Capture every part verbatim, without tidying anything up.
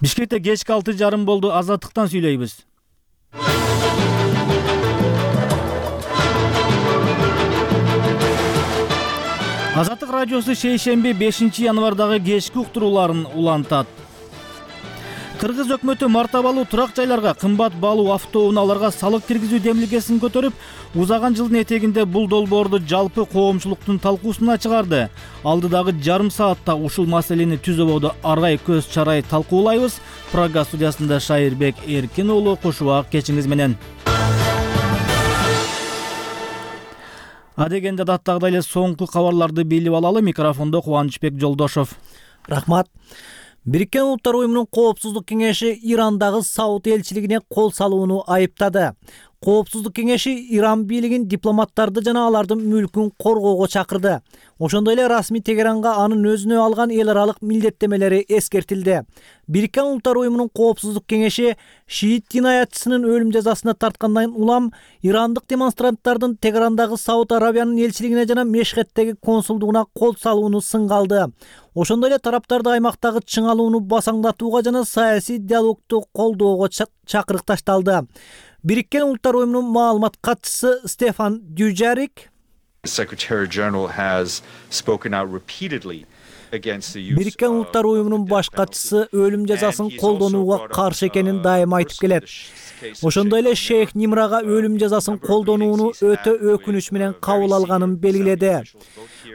Бишкекте кечки алты жарым болду. Азаттыктан сүйлөйбүз. Азаттык радиосу шейшемби бешинчи январдагы кечки уктурууларын улантат. Кыргыз өкмөтү мартабалуу турак жайларга, кымбат баалуу автоунааларга салык киргизүү демилгесин көтөрүп, узаган жылдын этегинде бул долбоорду жалпы коомчулуктун талкуусуна чыгарды. Алдыдагы жарым саатта ушул маселени түз ободо аргай көз чарай талкуулайбыз. Программа студиясында Шайырбек Эркин уулу, кушубак кечиңиз менен. Адегенде даттагыдай эле соңку кабарларды билип алалы. Микрофондо Кубанычбек Жолдошов. Рахмат. Бириккен Улуттар уюмунун Коопсуздук кеңеши Ирандагы Сауд элчилигине кол салууну айыптады. Коопсуздук кеңеши Иран бийлигин дипломаттарды жана алардын мүлкүн коргоого чакырды. Ошондой эле расмий Тегеранга анын өзүнө алган эл аралык милдеттемелери эскертилди. Бириккен Улуттар уюмунун Коопсуздук кеңеши шиит дин аятчысынын өлүм жазасына тарткандан улам ирандык демонстранттардын Тегерандагы Сауд Арабиянын элчилигине жана Мешхеттеги консулдугуна кол салууну сынга алды. Ошондой эле тараптарды аймактагы чыңалууну басаңдатууга жана саясий диалогду колдоого чакырык ташталды. Бириккен Улуттар уюмунун маалымат катчысы Стефан Дюжарик Бириккен Улуттар уюмунун баш катчысы өлүм жазасын колдонууга каршы экенин дайыма айтып келет. Ошондой эле Шейх Нимрага өлүм жазасын колдонууну өтө өкүнүч менен кабыл алганын белгиледи.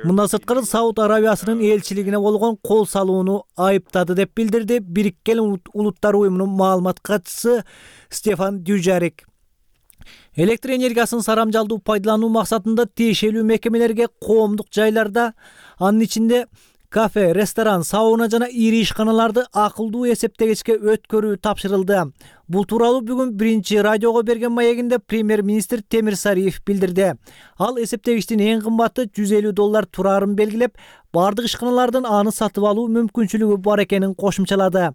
Мындан сырткары Сауд Арабиясынын элчилигине болгон кол салууну айыптады деп билдирди Бириккен Улуттар уюмунун маалымат катчысы Стефан Дюжарик. Электр энергиясын сарамжалдуу пайдалануу максатында тиешелүү мекемелерге коомдук жайларда, анын ичинде кафе, ресторан, сауна жана ири ишканаларды акылдуу эсептегичке өткөрүү тапшырылды. Бул тууралуу бүгүн биринчи радиого берген маегинде премьер-министр Темир Сариев билдирди. Ал эсептегичтин эң кымбаты жүз элүү доллар турарын белгилеп, бардык ишканалардын аны сатып алуу мүмкүнчүлүгү бар экенин кошумчалады.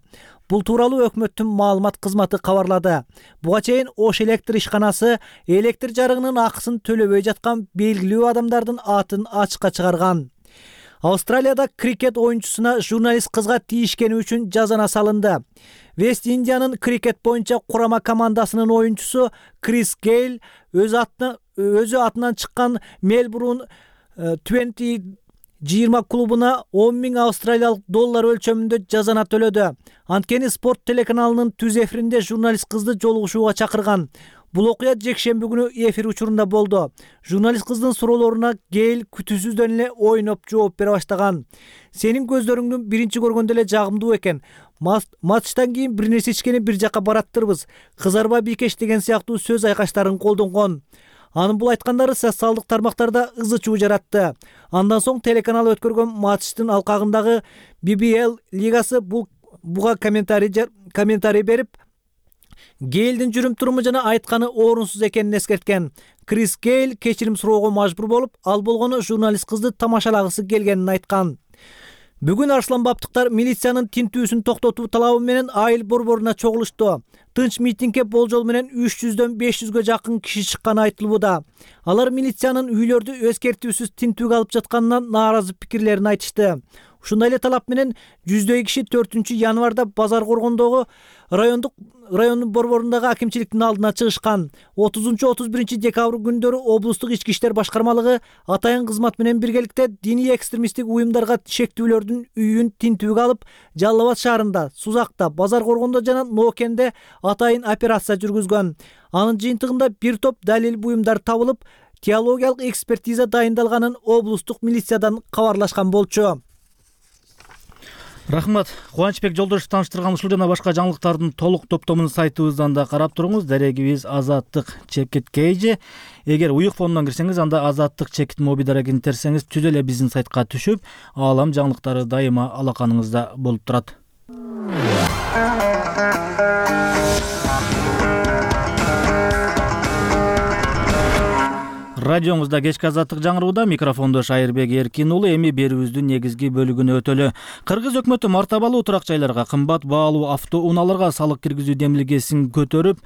Бул тууралуу өкмөттүн маалымат кызматы кабарлады. Буга чейин Ош электр ишканасы электр жарыгынын акысын төлөбөй жаткан белгилүү адамдардын атын ачыкка чыгарган. Австралияда крикет оюнчусуна журналист кызга тийишкени үчүн жазана салынды. Вест Индиянын крикет боюнча курама командасынын оюнчусу Крис Гейл өз атына өзү атынан чыккан Мельбурн двадцать жыйырма клубуна он миң австралиялык доллар өлчөмүндө жазана төлөдү. Анткени спорт телеканалынын түз эфиринде журналист кызды жолугушууга чакырган. Бул окуя жекшемби күнү эфир учурунда болду. Журналист кыздын суроолоруна Гейл күтүүсүздөн эле ойноп жооп бере баштаган. Сенин көздөрүңдү биринчи көргөндө эле жагымдуу экен. Матчтан кийин бир нерсе ичкени бир жакка бараттырбыз. Кызарба бийкеш деген сыяктуу сөз айкаштарын колдонгон. Анын бул айткандары социалдык тармактарда ызы чуу жаратты. Андан соң телеканал өткөргөн матчтын алкагындагы би би эл лигасы бул буга комментарий комментарий берип, Гейлдин жүрүм-туруму жана айтканы орунсуз экенин эскерткен. Крис Гейл кечирим суроого мажбур болуп, ал болгону журналист кызды тамашалагысы келгенин айткан. Бүгүн арсланбаптыктар милициянын тинтүүсүн токтотуу талабы менен айыл борборуна чогулушту. Тынч митингге болжол менен үч жүздөн беш жүзгө жакын киши чыкканы айтылууда. Алар милициянын үйлөрдү эскертүүсүз тинтүүгө алып жатканынан нааразы пикирлерин айтышты. Ушундай эле талап менен жүздөй киши төртүнчү январда Базар Коргондогу райондук райондун борборундагы акимчиликтин алдына чыгышкан. отузунчу отуз биринчи декабрь күндөрү облустук ички иштер башкармалыгы атайын кызмат менен биргеликте диний экстремисттик уюмдарга шектүүлөрдүн үйүн тинтүүгө алып, Жалал Абад шаарында, Сузакта, Базар Коргондо жана Ноокенде атайын операция жүргүзгөн. Анын жыйынтыгында бир топ далил буюмдар табылып, теологиялык экспертиза дайындалганын облустук милициядан кабарлашкан болчу. Рахмат. Кубанычбек Жолдошов тааныштырган ушул жана башка жаңылыктардын толук топтомун сайтыбыздан да карап туруңуз. Дарегибиз азаттык чекит kg. Эгер уюк фондон кирсеңиз, анда азаттык чекит моби дарегин терсеңиз, түз эле биздин сайтка түшүп, аалам жаңылыктары дайыма алаканыңызда болуп турат. Радиоңузда кечки азаттык жаңырууда, микрофондо Шайырбек Эркин уулу. Эми берүүбүздүн негизги бөлүгүнө өтөлү. Кыргыз өкмөтү мартабалуу турак жайларга, кымбат баалуу автоунааларга салык киргизүү демилгесин көтөрүп,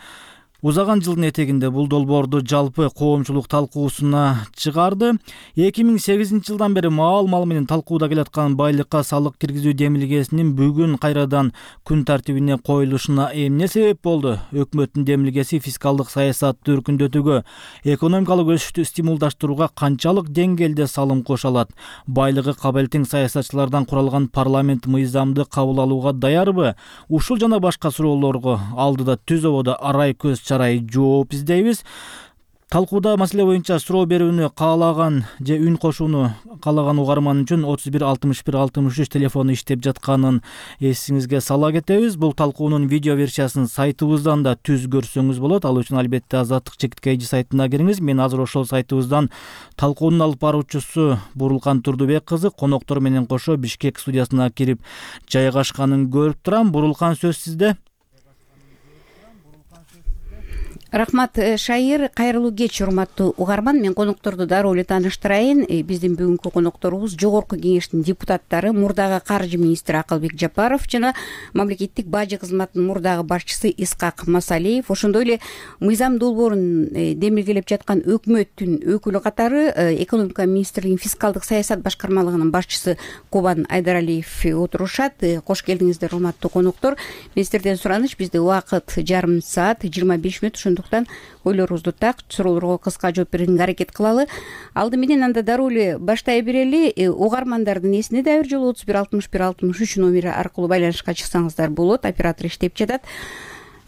узаган жылдын этегинде бул долбоорду жалпы коомчулук талкуусуна чыгарды. эки миң сегизинчи жылдан бери маал мал менен талкууда келаткан байлыкка салык киргизүү демилгесинин бүгүн кайрадан күн тартибине коюлушуна эмне себеп болду? Өкмөттүн демилгеси фискалдык саясатты өркүндөтүүгө, экономикалык өсүштү стимулдаштырууга канчалык деңгээлде салым кошо алат? Байлыгы кабыл тең саясатчылардан куралган парламент мыйзамды кабыл алууга даярбы? Ушул жана башка суроолорго алдыда түз ободо арай көз чарай жооп издейбиз. Талкууда маселе боюнча суроо берүүнү каалаган же үн кошууну каалаган угарман үчүн отуз бир алтымыш бир алтымыш үч телефону иштеп жатканын эсиңизге сала кетебиз. Бул талкуунун видео версиясын сайтыбыздан да түз көрсөңүз болот. Ал үчүн албетте Азаттык чекиткей сайтына кириңиз. Мен азыр ошол сайтыбыздан талкуунун алып баруучусу Бурулкан Турдубек кызы коноктор менен кошо Бишкек студиясына кирип жайгашканын көрүп турам. Бурулкан, сөз сизде. Рахмат, Шайыр. Кайрылуу кеч, урматтуу угарман. Мен конокторду дароо эле тааныштырайын. Биздин бүгүнкү конокторубуз Жогорку Кеңештин депутаттары, мурдагы каржы министри Акылбек Жапаров жана мамлекеттик бажы кызматынын мурдагы башчысы Искак Масалиев. Ошондой эле мыйзам долбоорун демилгелеп жаткан өкмөттүн өкүлү катары экономика министрлигинин фискалдык саясат башкармалыгынын башчысы Кубан Айдаралиев отурушат. Кош келдиңиздер, урматтуу коноктор. Мен сиздерден сураныч, бизде убакыт жарым саат жыйырма беш мүнөт. Ошондуктан ойлорубузду так, суроолорго кыска жооп берүүгө аракет кылалы. Алды менен анда дароо эле баштай берели. Угармандардын эсине да бир жолу отуз бир алтымыш бир алтымыш үч номери аркылуу байланышка чыксаңыздар болот. Оператор иштеп жатат.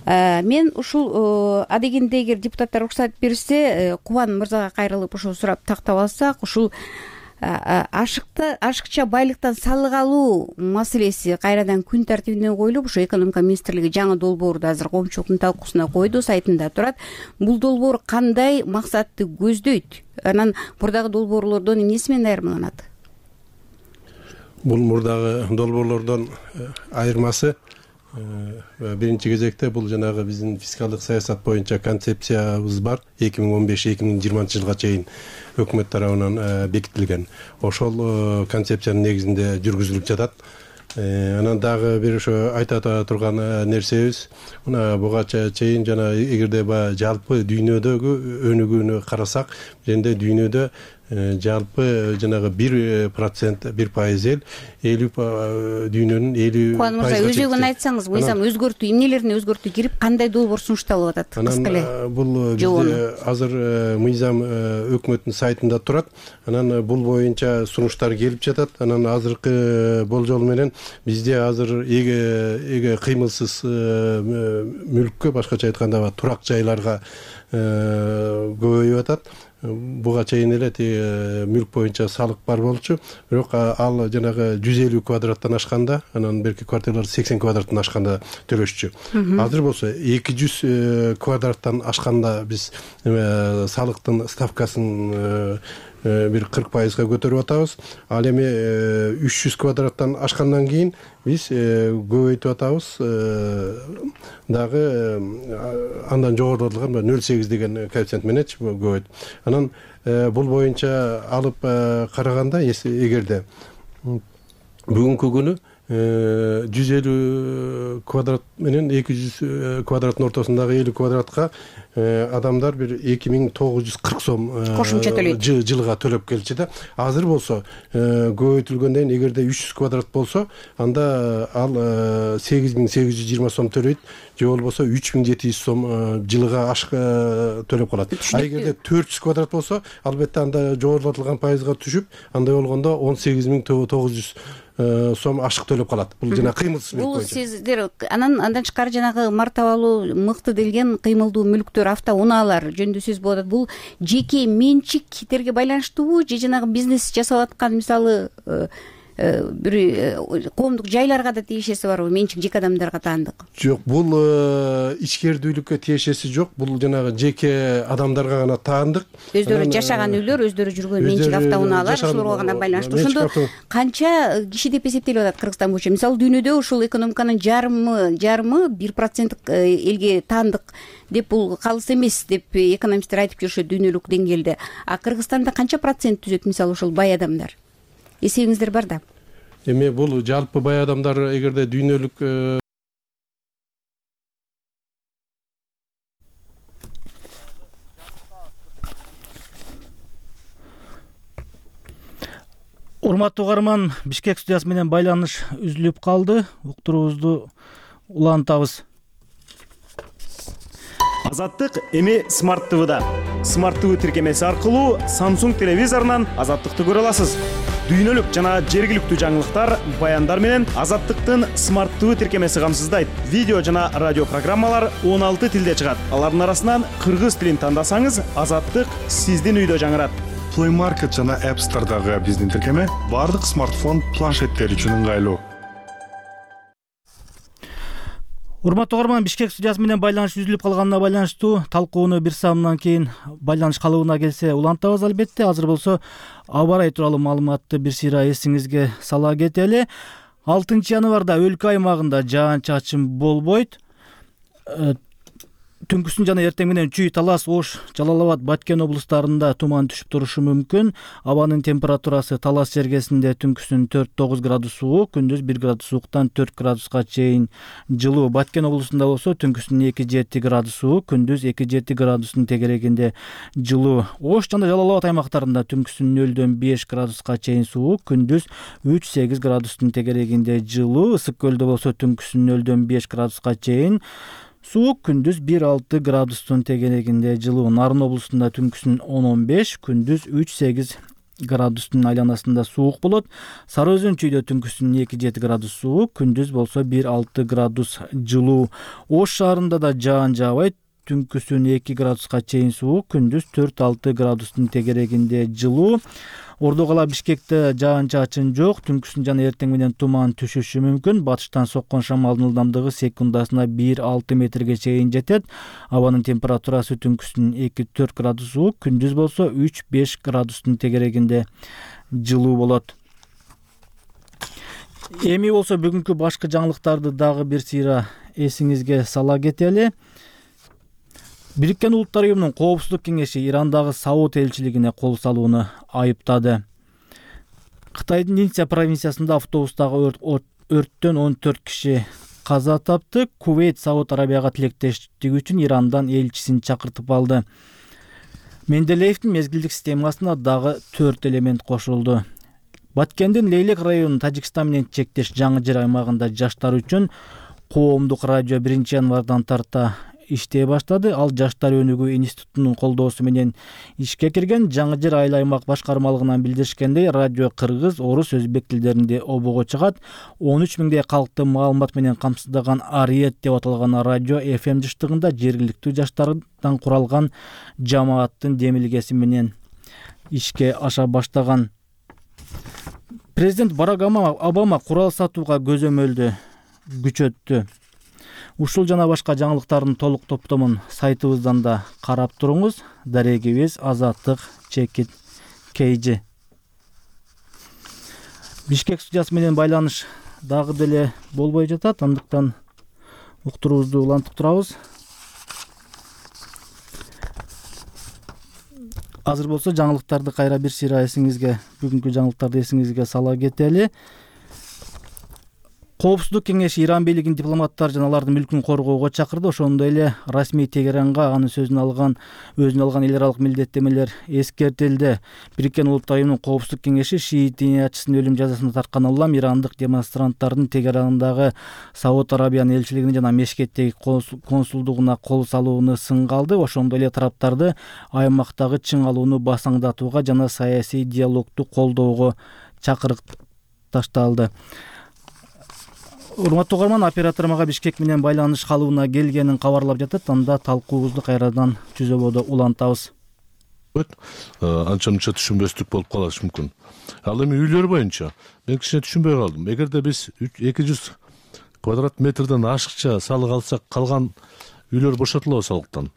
Мен ушул адегенде эгер депутаттар уруксат берсе, Кубан мырзага кайрылып ошол сурап тактап алсак, ушул ашыкты ашыкча байлыктан салык алуу маселеси кайрадан күн тартибине коюлуп, ошо экономика министрлиги жаңы долбоорду азыр коомчулуктун талкуусуна койду, сайтында турат. Бул долбоор кандай максатты көздөйт? Анан мурдагы долбоорлордон эмнеси менен айырмаланат? Бул мурдагы долбоорлордон айырмасы биринчи кезекте бул жанагы биздин фискалдык саясат боюнча концепциябыз бар. эки миң он беш эки миң жыйырманчы жылга чейин өкмөт тарабынан бекитилген. Ошол концепциянын негизинде жүргүзүлүп жатат. Анан дагы бир ошо айта турган нерсебиз, мына буга чейин жана эгерде баягы жалпы дүйнөдөгү өнүгүүнү карасак, жерде дүйнөдө жалпы жанагы бир процент, бир пайыз эл, элүү дүйнөнүн элүү пайыз. Кубан мырза, өзөгүн айтсаңыз, мыйзам өзгөртүү, эмнелерин өзгөртүү кирип, кандай долбоор сунушталып атат? Кыска эле. Бул бизде азыр мыйзам өкмөттүн сайтында турат. Анан бул боюнча сунуштар келип жатат. Анан азыркы болжол менен бизде азыр эге кыймылсыз мүлккө, башкача айтканда турак жайларга көбөйүп атат. Буга чейин эле мүлк боюнча салык бар болчу, бирок ал жанагы жүз элүү квадраттан ашканда, анан берки квартиралар сексен квадраттан ашканда төлөшчү. Азыр болсо эки жүз квадраттан ашканда биз салыктын ставкасын бир кырк пайызга көтөрүп атабыз. Ал эми үч жүз квадраттан ашкандан кийин биз көбөйтүп атабыз. Дагы андан жогорулатылган нөл бүтүн сегиз деген коэффициент менен көбөйт. Анан бул боюнча алып караганда, эгерде бүгүнкү күнү жүз элүү квадрат менен эки жүз квадраттын ортосундагы элүү квадратка адамдар бир эки миң тогуз жүз кырк сом кошумча төлөйт. Жылга төлөп келчү да. Азыр болсо көбөйтүлгөндөн кийин эгерде үч жүз квадрат болсо, анда ал сегиз миң сегиз жүз жыйырма сом төлөйт, же болбосо үч миң жети жүз сом жылга төлөп калат. А эгерде төрт жүз квадрат болсо, албетте анда жогорулатылган пайызга түшүп, андай болгондо он сегиз миң тогуз жүз сом ашык төлөп калат. Бул жана кыймылсыз мүлк боюнча. Бул сиздер анан андан тышкары жанагы мартабалуу мыкты делген кыймылдуу мүлктөр, автоунаалар жөнүндө сөз болот. Бул жеке менчиктерге байланыштуубу же жанагы бизнес жасап аткан, мисалы бир коомдук жайларга да тиешеси барбы? Менчик жеке адамдарга таандык? Жок, бул ичкердүүлүккө тиешеси жок. Бул жанагы жеке адамдарга гана таандык. Өздөрү жашаган үйлөр, өздөрү жүргөн менчик автоунаалар, ошолорго гана байланыштуу. Ошондо канча киши деп эсептелип атат Кыргызстан боюнча? Мисалы дүйнөдө ушул экономиканын жарымы жарымы бир проценттик элге таандык деп, бул калыс эмес деп экономисттер айтып жүрүшөт дүйнөлүк деңгээлде. А Кыргызстанда канча процент түзөт мисалы ушул бай адамдар? Эсебиңиздер бар да? Эми бул жалпы бай адамдар эгерде дүйнөлүк Урматтуу угарман, Бишкек студиясы менен байланыш үзүлүп калды. Уктуруубузду улантабыз. Азаттык эми Smart ти ви-да. Smart ти ви тиркемеси аркылуу Samsung телевизорунан Азаттыкты көрө аласыз. Дүйнөлүк жана жергиликтүү жаңылыктар, баяндар менен Азаттыктын Smart ти ви тиркемеси камсыздайт. Видео жана радио программалар он алты тилде чыгат. Алардын арасынан кыргыз тилин тандасаңыз, Азаттык сиздин үйдө жаңырат. Play Market жана App Store'дагы биздин тиркеме бардык смартфон, планшеттер үчүн ыңгайлуу. Урматтуу угарман, Бишкек студиясы менен байланыш үзүлүп калганына байланыштуу талкууну бир саамдан кийин байланыш калыбына келсе улантабыз албетте. Азыр болсо аба ырайы тууралуу маалыматты бир сыйра эсиңизге сала кетели. алтынчы январда өлкө аймагында жаан-чачын болбойт. Түнкүсүн жана эртең менен Чүй, Талас, Ош, Жалал Абад, Баткен облустарында туман түшүп турушу мүмкүн. Абанын температурасы Талас жергесинде түнкүсүн төрт тогуз градус суук, күндүз бир градус сууктан төрт градуска чейин жылуу. Баткен облусунда болсо түнкүсүн эки жети градус суук, күндүз эки жети градустун тегерегинде жылуу. Ош жана Жалал Абад аймактарында түнкүсүн нөлдөн беш градуска чейин суук, күндүз үч сегиз градустун тегерегинде жылуу. Ысык көлдө болсо түнкүсүн нөлдөн беш градуска чейин суук, күндүз бир алты градустун тегерегинде жылуу. Нарын облусунда түнкүсүн он он беш, күндүз үч сегиз градустун айланасында суук болот. Сары Өзөн Чүйдө түнкүсүн эки жети градус суук, күндүз болсо бир алты градус жылуу. Ош шаарында да жаан жаабайт. Түнкүсүн эки градуска чейин суук, күндүз төрт алты градустун тегерегинде жылуу. Ордо кала Бишкекте жаан-чачын жок, түнкүсүн жана эртең менен туман түшүшү мүмкүн. Батыштан соккон шамалдын ылдамдыгы секундасына бир алты метрге чейин жетет. Абанын температурасы түнкүсүн эки төрт градус суук, күндүз болсо үч беш градустун тегерегинде жылуу болот. Эми болсо бүгүнкү башкы жаңылыктарды дагы бир сыйра эсиңизге сала кетели. Бириккен Улуттар уюмунун Коопсуздук кеңеши Ирандагы Сауд элчилигине кол салууну айыптады. Кытайдын Нинся провинциясында автобустагы өрттөн он төрт киши каза тапты. Кувейт Сауд Арабияга тилектештик үчүн Ирандан элчисин чакыртып алды. Менделеевдин мезгилдик системасына дагы төрт элемент кошулду. Баткендин Лейлек районунун Тажикстан менен чектеш Жаңы Жер аймагында жаштар үчүн коомдук радио биринчи январдан тарта иштей баштады. Ал Жаштар өнүгүү институтунун колдоосу менен ишке кирген. Жаңы Жер айыл аймак башкармалыгынан билдиришкендей, радио кыргыз, орус, өзбек тилдеринде обого чыгат. он үч миңдей калкты маалымат менен камсыздаган Ариет деп аталган радио эф эм жыштыгында жергиликтүү жаштардан куралган жамааттын демилгеси менен ишке аша баштаган. Президент Барак Обама курал сатууга көзөмөлдү күчөттү. Ушул жана башка жаңылыктардын толук топтомун сайтыбыздан да карап туруңуз. Дарегибиз Азаттык чекит kg. Бишкек студиясы менен байланыш дагы деле болбой жатат. Андыктан уктуруубузду улантып турабыз. Азыр болсо жаңылыктарды кайра бир сыйра эсиңизге, бүгүнкү жаңылыктарды эсиңизге сала кетели. Коопсуздук кеңеши Иран бийлигин дипломаттар жана алардын мүлкүн коргоого чакырды. Ошондой эле расмий Тегеранга анын сөзүн алган, өзүнө алган эл аралык милдеттемелер эскертилди. Бириккен Улуттар уюмунун Коопсуздук кеңеши шиит диниятчысынын өлүм жазасына тарткан улам ирандык демонстранттардын Тегерандагы Сауд Арабиянын элчилигине жана Мешкеттеги консулдугуна кол салууну сынга алды. Ошондой эле тараптарды аймактагы чың алууну басаңдатууга жана саясий диалогду колдоого чакырык ташталды. Урматтуу угарман, оператор мага Бишкек менен байланыш калыбына келгенин кабарлап жатат. Анда талкуубузду кайрадан түзөбодо улантабыз. Анча мынча түшүнбөстүк болуп калышы мүмкүн. Ал эми үйлөр боюнча мен кичине түшүнбөй калдым. Эгерде биз эки жүз квадрат метрден ашыкча салык алсак, калган үйлөр бошотулабы салыктан?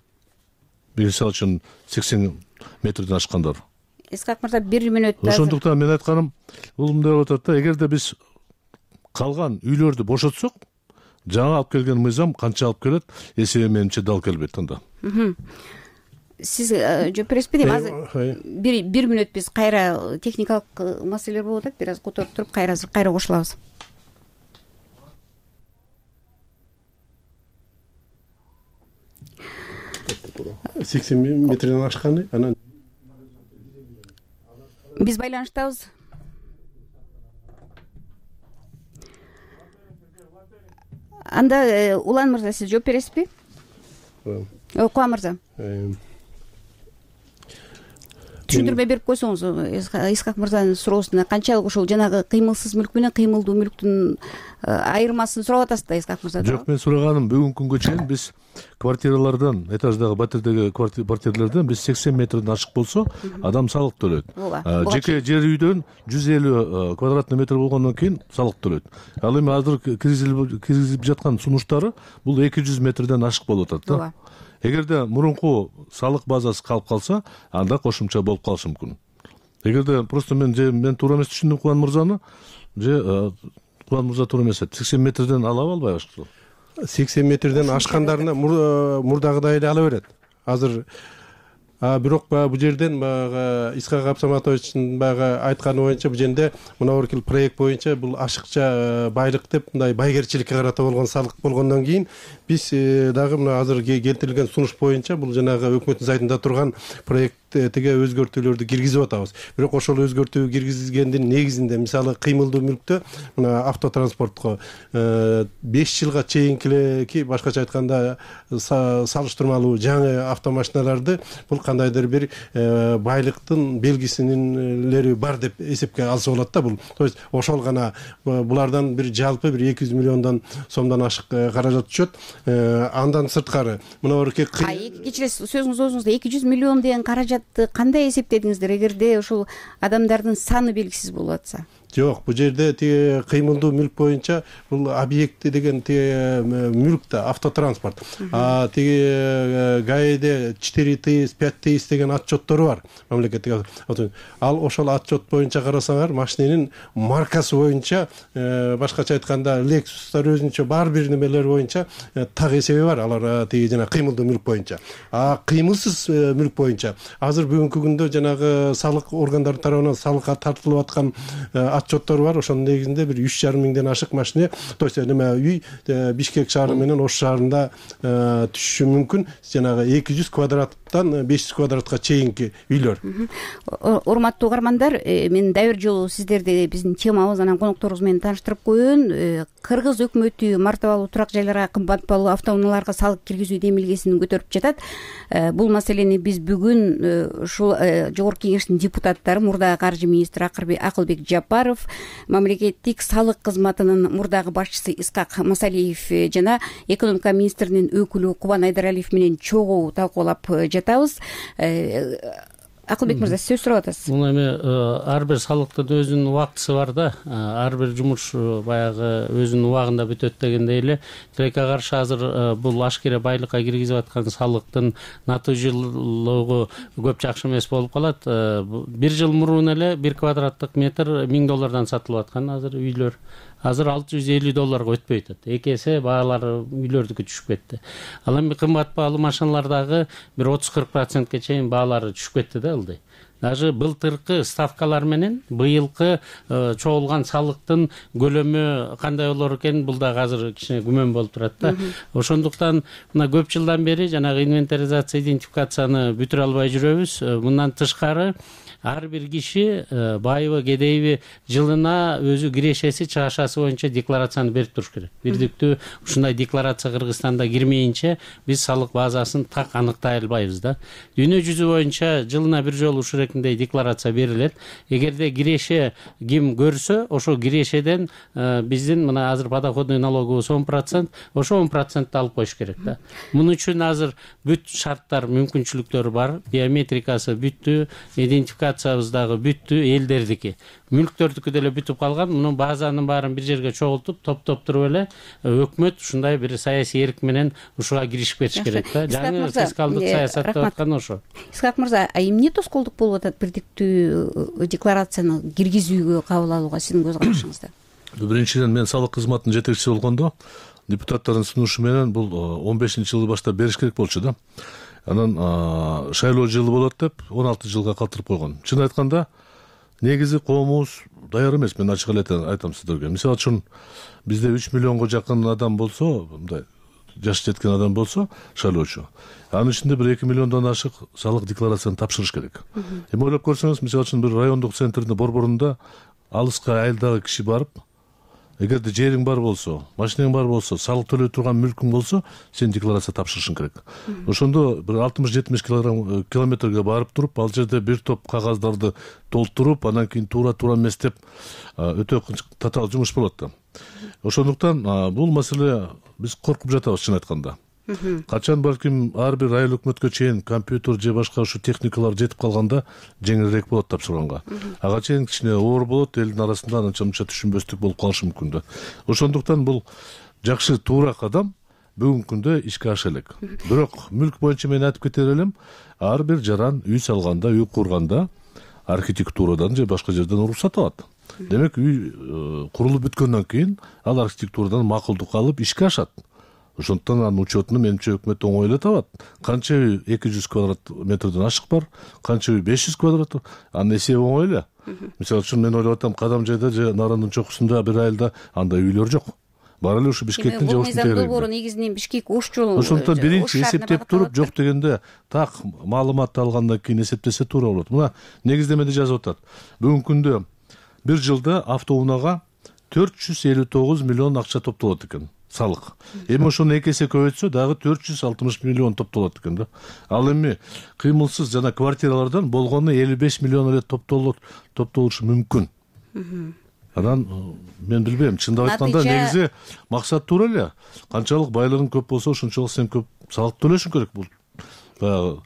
Мисалы үчүн сексен метрден ашкандар. Исхак мырза, бир мүнөттө. Ошондуктан мен айтканым, бул мындай болуп атат да, эгерде биз калган үйлөрдү бошотсок, жаңа алып келген мыйзам канча алып келет, эсеби менимче дал келбейт анда. Сиз жооп бересизби дейм? Азыр бир бир мүнөт биз кайра техникалык маселелер болуп атат, бир аз которуп туруп кайра кайра кошулабыз. сексен метрден ашканы, анан биз байланыштабыз. анда Улан мырза, сиз жооп бересизби? Кубан мырза, түшүндүрмө берип койсоңуз Исхак мырзанын суроосуна. Канчалык ушул жанагы кыймылсыз мүлк менен кыймылдуу мүлктүн айырмасын сурап атасыз да, Исхак мырза? Жок, мен сураганым бүгүнкү күнгө чейин биз квартиралардан, этаждагы батирдеги квартиралардан биз сексен метрден ашык болсо адам салык төлөйт. Жеке жер үйдөн жүз элүү квадратный метр болгондон кийин салык төлөйт. Ал эми азыр киргизип жаткан сунуштары бул эки жүз метрден ашык болуп атат да. Эгерде мурунку салык базасы калып калса, анда кошумча болуп калышы мүмкүн. Эгерде просто мен же мен туура эмес түшүндүм Кубан мырзаны, же Кубан мырза туура эмес айтты. сексен метрден ала албайбы? сексен метрден ашкандарына мурдагыдай эле ала берет. Азыр бирок баягы бул жерден баягы Исхак Абсаматовичтин баягы айтканы боюнча бул жерде мына бир проект боюнча бул ашыкча байлык деп мындай байгерчиликке карата болгон салык болгондон кийин биз дагы мына азыр келтирилген сунуш боюнча бул жанагы өкмөттүн сайтында турган проект теге өзгөртүүлөрдү киргизип атабыз. Бирок ошол өзгөртүү киргизилгендин негизинде мисалы кыймылдуу мүлктө мына автотранспортко беш жылга чейинки, башкача айтканда салыштырмалуу жаңы автомашиналарды бул кандайдыр бир байлыктын белгисинин бар деп эсепке алса болот да. Бул то есть ошол гана булардан бир жалпы бир эки жүз миллиондон сомдон ашык каражат түшөт. Андан сырткары мына бир кечиресиз, сөзүңүз өзүңүздө эки жүз миллион деген каражат кандай эсептедиңиздер, эгерде ушул адамдардын саны белгисиз болуп атса? Жок, бул жерде тиги кыймылдуу мүлк боюнча бул объекти деген тиги мүлк да, автотранспорт. А тиги ГАИде четыре тысячи, пять тысяч деген отчеттору бар мамлекеттик. Ал ошол отчет боюнча карасаңар, машиненин маркасы боюнча, башкача айтканда Lexus'тар өзүнчө бар бир немелер боюнча так эсеби бар. Алар тиги жана кыймылдуу мүлк боюнча. А кыймылсыз мүлк боюнча азыр бүгүнкү күндө жанагы салык органдары тарабынан салыкка тартылып аткан отчеттор бар. Ошонун негизинде бир үч жарым миңден ашык машина, то есть неме үй Бишкек шаары менен Ош шаарында түшүшү мүмкүн. Жанагы эки жүз квадраттан беш жүз квадратка чейинки үйлөр. Урматтуу угармандар, мен дагы бир жолу сиздерди биздин темабыз анан конокторубуз менен тааныштырып коеюн. Кыргыз өкмөтү мартабалуу турак жайларга, кымбат баалуу автоунааларга салык киргизүү демилгесин көтөрүп жатат. Бул маселени биз бүгүн ушул жогорку кеңештин депутаттары, мурдагы каржы министри Акылбек Жапаров, мамлекеттик салык кызматынын мурдагы башчысы Исхак Масалиев жана экономика министринин өкүлү Кубан Айдаралиев менен чогуу талкуулап жатабыз. Акылбек мырза, сөз сурап атасыз. Бул эми ар бир салыктын өзүнүн убактысы бар да. Ар бир жумуш баягы өзүнүн убагында бүтөт дегендей эле, тилекке каршы азыр бул ашкере байлыкка киргизип аткан салыктын натыйжалуулугу көп жакшы эмес болуп калат. Бир жыл мурун эле бир квадраттык метр миң доллардан сатылып аткан азыр үйлөр азыр алты жүз элүү долларга өтпөй атат. Эки эсе баалары үйлөрдүкү түшүп кетти. Ал эми кымбат баалуу машиналардагы бир отуз кырк процентке чейин баалары түшүп кетти да ылдый. Даже былтыркы ставкалар менен быйылкы чогулган салыктын көлөмү кандай болор экен, бул да азыр кичине күмөн болуп турат да. Ошондуктан мына көп жылдан бери жанагы инвентаризация, идентификацияны бүтүрө албай жүрөбүз. Мындан тышкары ар бир киши байыбы кедейби жылына өзү кирешеси чыгашасы боюнча декларацияны берип туруш керек. Бирдиктүү ушундай декларация Кыргызстанда кирмейинче биз салык базасын так аныктай албайбыз да. Дүйнө жүзү боюнча жылына бир жолу ушундай декларация берилет. Эгерде киреше ким көрсө, ошол кирешеден биздин мына азыр подоходный налогубуз он процент, ошо он процентти алып коюш керек да. Муну үчүн азыр бүт шарттар, мүмкүнчүлүктөр бар. Биометрикасы бүттү, идентификация дагы бүттү, элдердики. Мүлктөрдүкү деле бүтүп калган. Муну базанын баарын бир жерге чогултуп, топтоп туруп эле өкмөт ушундай бир саясий эрк менен ушуга киришип кетиш керек да. Жаңы фискалдык саясат деп аткан ошо. Исхак мырза, эмне тоскоолдук болуп атат бирдиктүү декларацияны киргизүүгө кабыл алууга сиздин көз карашыңызда? Биринчиден, мен салык кызматынын жетекчиси болгондо депутаттардын сунушу менен бул он бешинчи жылы баштап бериш керек болчу да. Анан шайлоо жылы болот деп он алты жылга калтырып койгон. Чын айтканда, негизи коомубуз даяр эмес. Мен ачык эле айтам сиздерге. Мисалы үчүн бизде үч миллионго жакын адам болсо, мындай жаш жеткен адам болсо, шайлоочу. Анын ичинде бир эки миллиондон ашык салык декларацияны тапшырыш керек. Эми ойлоп көрсөңүз, мисалы үчүн бир райондук центрдин борборунда алыска айылдагы киши барып, эгерде жериң бар болсо, машинаң бар болсо, салык төлөй турган мүлкүң болсо, сен декларация тапшырышың керек. Ошондо бир алтымыш жетимиш килограмм километрге барып туруп, ал жерде бир топ кагаздарды толтуруп, анан кийин туура туура эмес деп өтө татаал жумуш болот да. Ошондуктан бул маселе биз коркуп жатабыз, чын айтканда. Качан балким ар бир айыл өкмөткө чейин компьютер же башка ушу техникалар жетип калганда жеңилирээк болот тапшырганга. Ага чейин кичине оор болот, элдин арасында анча мынча түшүнбөстүк болуп калышы мүмкүн да. Ошондуктан бул жакшы туура кадам бүгүнкү күндө ишке аша элек. Бирок мүлк боюнча мен айтып кетер элем, ар бир жаран үй салганда, үй курганда архитектурадан же башка жерден уруксат алат. Демек үй курулуп бүткөндөн кийин ал архитектурадан макулдук алып ишке ашат. Ошондуктан анын учетуну менимче өкмөт оңой эле табат. Канча үй эки жүз квадрат метрден ашык бар, канча үй беш жүз квадрат, анын эсеби оңой эле. Мисалы үчүн мен ойлоп атам, Кадам жайда же Наранын чокусунда бир айылда андай үйлөр жок. Бар эле ушу Бишкектин же Ошун тегерегинде. Долбоору негизинен Бишкек Ош жолу. Ошондуктан биринчи эсептеп туруп, жок дегенде так маалымат алгандан кийин эсептесе туура болот. Мына негиздемеде жазып атат. Бүгүнкү күндө бир жылда автоунаага төрт жүз элүү тогуз миллион акча топтолот экен. Салык. Эми ошону эки эсе көбөйтсө дагы төрт жүз алтымыш миллион топтолот экен да. Ал эми кыймылсыз жана квартиралардан болгону элүү беш миллион эле топтолот, топтолушу мүмкүн. Анан мен билбейм, чындап айтканда негизи максат туура эле. Канчалык байлыгың көп болсо, ошончолук сен көп салык төлөшүң керек. Бул баягы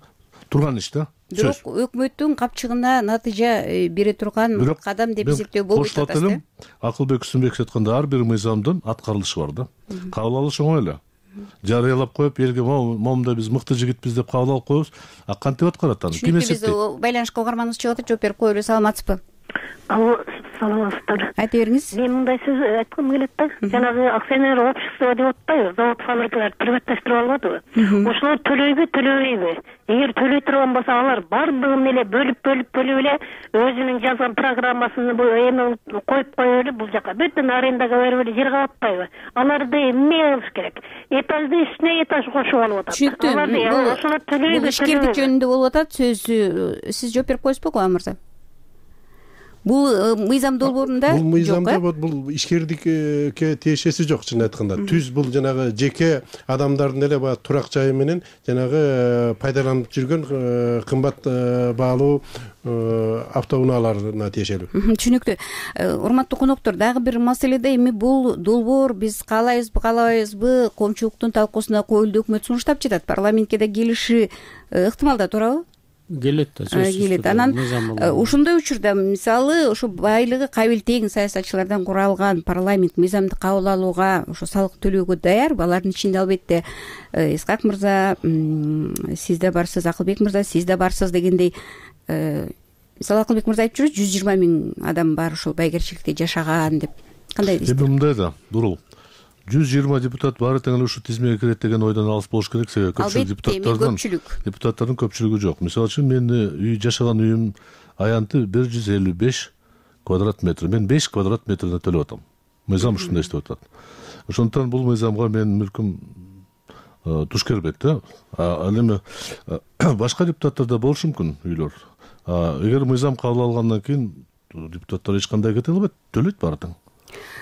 турган иш да. Бирок өкмөттүн капчыгына натыйжа бере турган кадам деп эсептөө болбойт атасыз. Акылбек Үсүнбеков айтканда ар бир мыйзамдын аткарылышы бар да. Кабыл алыш оңой эле. Жарыялап коюп, элге момунда биз мыкты жигитпиз деп кабыл алып коебуз. А кантип аткарат аны? Ким эсептейт? Биз байланышка угарманыбыз чыгып атат, жооп берип коелу. Саламатсызбы? Алло, саламатсыздар. Айта бериңиз. Мен мындай сөз айткым келет да. Жанагы акционер общество деп атпайбы, завод фабрикаларды приватташтырып албадыбы? Ошолор төлөйбү, төлөбөйбү? Эгер төлөй турган болсо, алар бардыгын эле бөлүп бөлүп бөлүп эле өзүнүн жазган программасын эми коюп коюп эле бул жака бүтүн арендага берип эле жер калатпайбы? Аларды эмне кылыш керек? Этажды үстүнө этаж кошуп алып атат. Түшүнүктүү. Ошолор төлөйбү? Бул ишкердик жөнүндө болуп атат сөз. Сиз жооп берип коесузбу, Кубан мырза? Бул мыйзам долбоорунда бул мыйзамда бул ишкердикке тиешеси жок, чын айтканда. Түз бул жанагы жеке адамдардын эле баягы турак жайы менен жанагы пайдаланып жүргөн кымбат баалуу автоунааларына тиешелүү. Түшүнүктүү. Урматтуу коноктор, дагы бир маселеде эми бул долбоор биз каалайбызбы, каалабайбызбы, коомчулуктун талкуусуна коюлду, өкмөт сунуштап жатат. Парламентке да келиши ыктымал да, туурабы? Келет да, сөзсүз. Келет. Анан ошондой учурда мисалы ушу байлыгы кабыл тең саясатчылардан куралган парламент мыйзамды кабыл алууга, ошо салык төлөөгө даярбы? Алардын ичинде албетте Исхак мырза, сиз да барсыз, Акылбек мырза, сиз да барсыз дегендей. Мисалы Акылбек мырза айтып жүрөт, жүз жыйырма миң адам бар ушул байгерчиликте жашаган деп. Кандай дейсиз? Эми мындай да, Дурул. жүз жыйырма депутат баары тең эле ушу тизмеге кирет деген ойдон алыс болуш керек. Себеби көпчүлүк депутаттардын депутаттардын көпчүлүгү жок. Мисалы үчүн мен үй жашаган үйүм аянты бир жүз элүү беш квадрат метр. Мен беш квадрат метрден төлөп атам. Мыйзам ушундай иштеп атат. Ошондуктан бул мыйзамга менин мүлкүм туш келбейт да. Ал эми башка депутаттарда болушу мүмкүн үйлөр. Эгер мыйзам кабыл алгандан кийин депутаттар эч кандай кете албайт, төлөйт баары тең.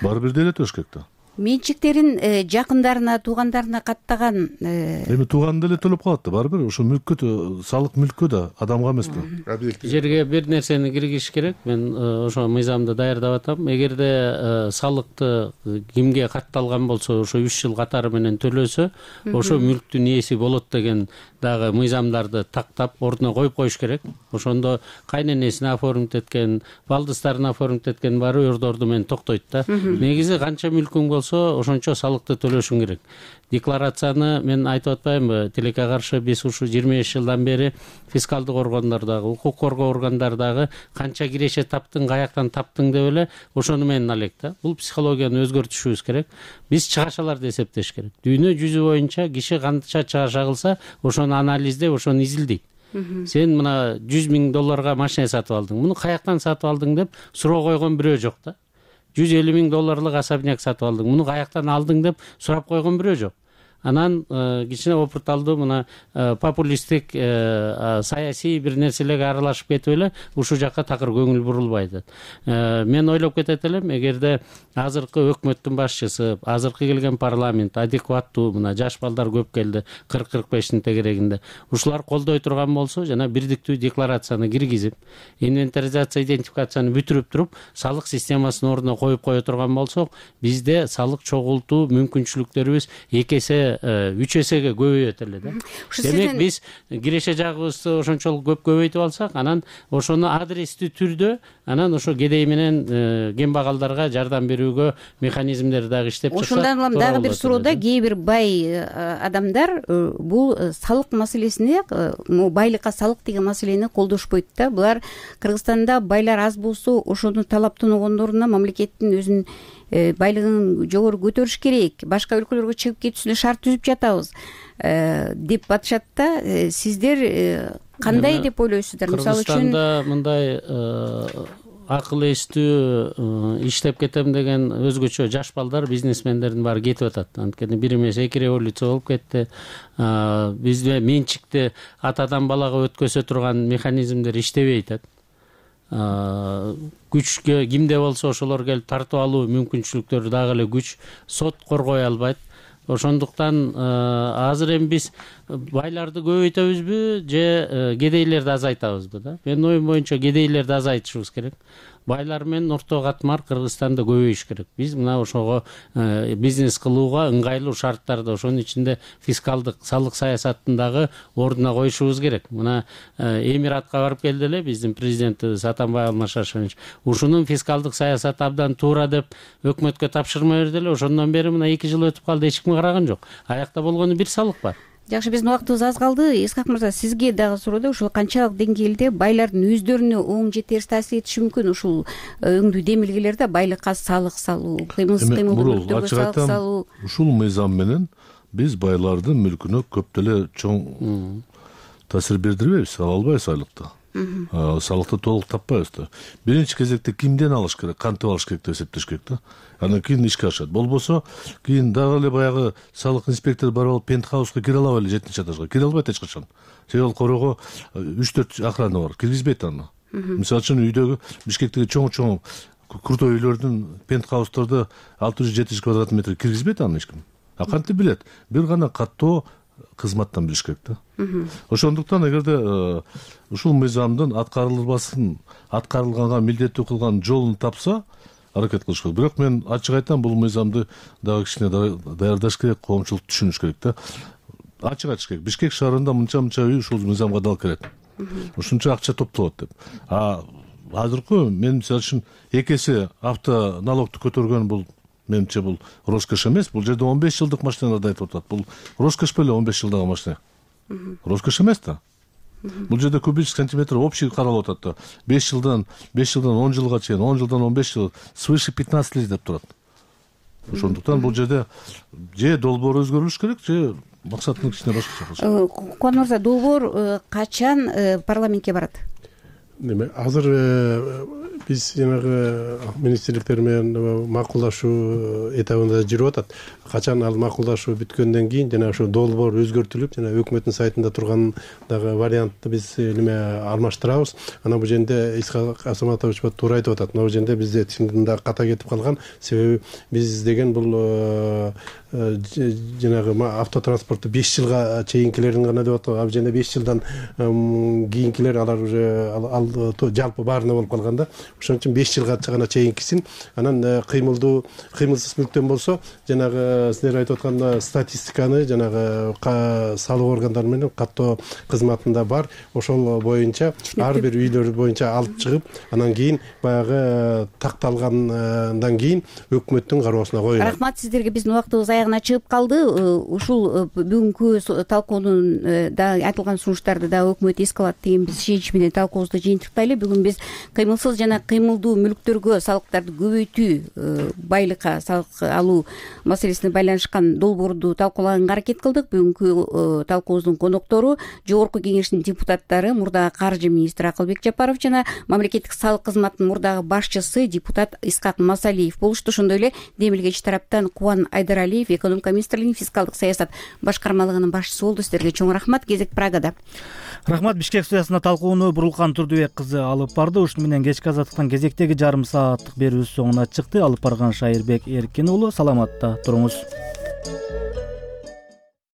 Баары бирдей эле төлөш керек да. Менчиктерин жакындарына, туугандарына каттаган эми тууган деле төлөп калат да, баары бир ошо мүлккө, салык мүлккө да, адамга эмес да. Жерге бир нерсени киргизиш керек. Мен ошо мыйзамды даярдап атам. Эгерде салыкты кимге катталган болсо, ошо үч жыл катары менен төлөсө, ошо мүлктүн ээси болот деген дагы мыйзамдарды тактап ордуна коюп коюш керек. Ошондо кайненесине оформить эткен, балдыстарына оформить эткен баары ордорду менен токтойт да. Негизи канча мүлкүң болсо, ошончо салыкты төлөшүң керек. Декларацияны мен айтып атпаймынбы, тилекке каршы биз ушу жыйырма беш жылдан бери фискалдык органдардагы, укук коргоо органдардагы канча киреше таптың, каяктан таптың деп эле ошону менен алек да. Бул психологияны өзгөртүшүбүз керек. Биз чыгашаларды эсептеш керек. Дүйнө жүзү боюнча киши канча чыгаша кылса, ошону анализдеп, ошону изилдейт. Сен мына жүз миң долларга машина сатып алдың. Муну каяктан сатып алдың деп суроо койгон бирөө жок да. жүз элүү миң долларлык особняк сатып алдың. Муну каяктан алдың деп сурап койгон бирөө жок. анан кичине опурталдуу мына популисттик саясий бир нерселерге аралашып кетип эле ушул жакка такыр көңүл бурулбай атат. Мен ойлоп кетет элем, эгерде азыркы өкмөттүн башчысы, азыркы келген парламент адекваттуу, мына жаш балдар көп келди, кырк кырк бештин тегерегинде, ушулар колдой турган болсо, жана бирдиктүү декларацияны киргизип, инвентаризация, идентификацияны бүтүрүп туруп, салык системасын ордуна коюп кое турган болсок, бизде салык чогултуу мүмкүнчүлүктөрүбүз эки эсе, үч эсеге көбөйөт эле да. Демек биз киреше жагыбызды ошончолук көп көбөйтүп алсак, анан ошону адрестүү түрдө, анан ошо кедей менен кембагалдарга жардам берүүгө механизмдер дагы иштеп чыкса. Ошондон улам дагы бир суроода кээ бир бай адамдар бул салык маселесине, байлыкка салык деген маселени колдошпойт да. Булар Кыргызстанда байлар аз болсо, ошону талаптануугондоруна мамлекеттин өзүнүн байлыгын жогору көтөрүш керек, башка өлкөлөргө чыгып кетүүсүнө шарт түзүп жатабыз деп атышат да. Сиздер кандай деп ойлойсуздар? Мисалы үчүн Кыргызстанда мындай акыл эстүү иштеп кетем деген өзгөчө жаш балдар, бизнесмендердин баары кетип атат. Анткени бир эмес эки революция болуп кетти. Бизде менчикти атадан балага өткөзө турган механизмдер иштебей атат. Күчкө кимде болсо ошолор келип тартып алуу мүмкүнчүлүктөрү дагы эле күч, сот коргой албайт. Ошондуктан азыр эми биз байларды көбөйтөбүзбү же кедейлерди азайтабызбы да? Менин оюм боюнча кедейлерди азайтышыбыз керек. Байлар менен орто катмар Кыргызстанда көбөйүш керек. Биз мына ошого бизнес кылууга ыңгайлуу шарттарды, ошонун ичинде фискалдык салык саясатын дагы ордуна коюшубуз керек. Мына Эмиратка барып келди эле биздин президентибиз Атамбай Алмашашевич. Ушунун фискалдык саясаты абдан туура деп өкмөткө тапшырма берди эле. Ошондон бери мына эки жыл өтүп калды, эч ким караган жок. Аякта болгону бир салык бар. Жакшы, биздин убактыбыз аз калды. Исхак мырза, сизге дагы суроо, ушул канчалык деңгээлде байлардын өздөрүнө оң же терс таасир этиши мүмкүн ушул өңдүү демилгелерде байлыкка салык салуу, кыймылсыз кыймылдуу мүлктөргө салык салуу? Ушул мыйзам менен биз байлардын мүлкүнө көп деле чоң таасир бердирбейбиз, ала албайбыз айлыкты. Салыкты толук таппайбыз да. Биринчи кезекте кимден алыш керек, кантип алыш керек деп эсептеш керек да. Анан кийин ишке ашат. Болбосо кийин дагы эле баягы салык инспектору барып алып пентхауска кире алабы эле жетинчи этажга? Кире албайт эч качан. Себеби ал корого үч төрт охрана бар, киргизбейт аны. Мисалы үчүн үйдөгү Бишкектеги чоң-чоң крутой үйлөрдүн пентхаустарда алты жүз жети жүз квадрат метр киргизбейт аны эч ким. А кантип билет? Бир гана каттоо кызматтан билиш керек да. Ошондуктан эгерде ушул мыйзамдын аткарылбасын, аткарылганга милдеттүү кылган жолун тапса, аракет кылыш керек. Бирок мен ачык айтам, бул мыйзамды дагы кичине даярдаш керек, коомчулук түшүнүш керек да. Ачык айтыш керек. Бишкек шаарында мынча-мынча үй ушул мыйзамга дал кирет. Ушунча акча топтолот деп. А азыркы мен мисалы үчүн эки эсе авто налогду көтөргөн бул менимче бул роскош эмес. Бул жерде он беш жылдык машиналарды айтып атат. Бул роскош беле он беш жылдагы машина. Роскош эмес да. Бул жерде кубический сантиметр общий каралып атат да. беш жылдан беш жылдан он жылга чейин, он жылдан он беш жыл, свыше пятнадцать лет деп турат. Ошондуктан бул жерде же долбоор өзгөрүлүш керек, же максатын кичине башкача кылыш керек. Кубан мырза, долбоор качан парламентке барат? Неме, азыр биз жанагы министрликтер менен макулдашуу этабында жүрүп атат. Качан ал макулдашуу бүткөндөн кийин жана ошо долбоор өзгөртүлүп, жана өкмөттүн сайтында турган дагы вариантты биз неме алмаштырабыз. Анан бул жерде Исхак Асаматович туура айтып атат. Бул жерде бизде чындыгында ката кетип калган. Себеби биз деген бул жанагы автотранспорту беш жылга чейинкилерин гана деп атат. Ал жерде беш жылдан кийинкилер алар уже ал жалпы баарына болуп калган да. Ошон үчүн беш жылга гана чейинкисин, анан кыймылдуу, кыймылсыз мүлктөн болсо, жанагы силер айтып аткан статистиканы жанагы салык органдары менен каттоо кызматында бар. Ошол боюнча ар бир үйлөр боюнча алып чыгып, анан кийин баягы такталгандан кийин өкмөттүн кароосуна коюлат. Рахмат сиздерге. Биздин убактыбыз аягына чыгып калды. Ушул бүгүнкү талкуунун да айтылган сунуштарды да өкмөт эске алат деген биз ишенич менен талкуубузду жыйынтыктайлы. Бүгүн биз кыймылсыз жана жана кыймылдуу мүлктөргө салыктарды көбөйтүү, байлыкка салык алуу маселесине байланышкан долбоорду талкуулаганга аракет кылдык. Бүгүнкү талкуубуздун коноктору Жогорку Кеңештин депутаттары мурдагы каржы министри Акылбек Жапаров жана мамлекеттик салык кызматынын мурдагы башчысы депутат Искак Масалиев болушту. Ошондой эле демилгеч тараптан Кубан Айдаралиев экономика министрлигинин фискалдык саясат башкармалыгынын башчысы болду. Сиздерге чоң рахмат. Кезек Прагада. Рахмат. Бишкек студиясында талкууну Бурулкан Турдубек кызы алып барды. Ушуну менен кечки азаттыктан кезектеги жарым сааттык берүүбүз соңуна чыкты. Алып барган Шайырбек Эркин уулу. Саламатта туруңуз.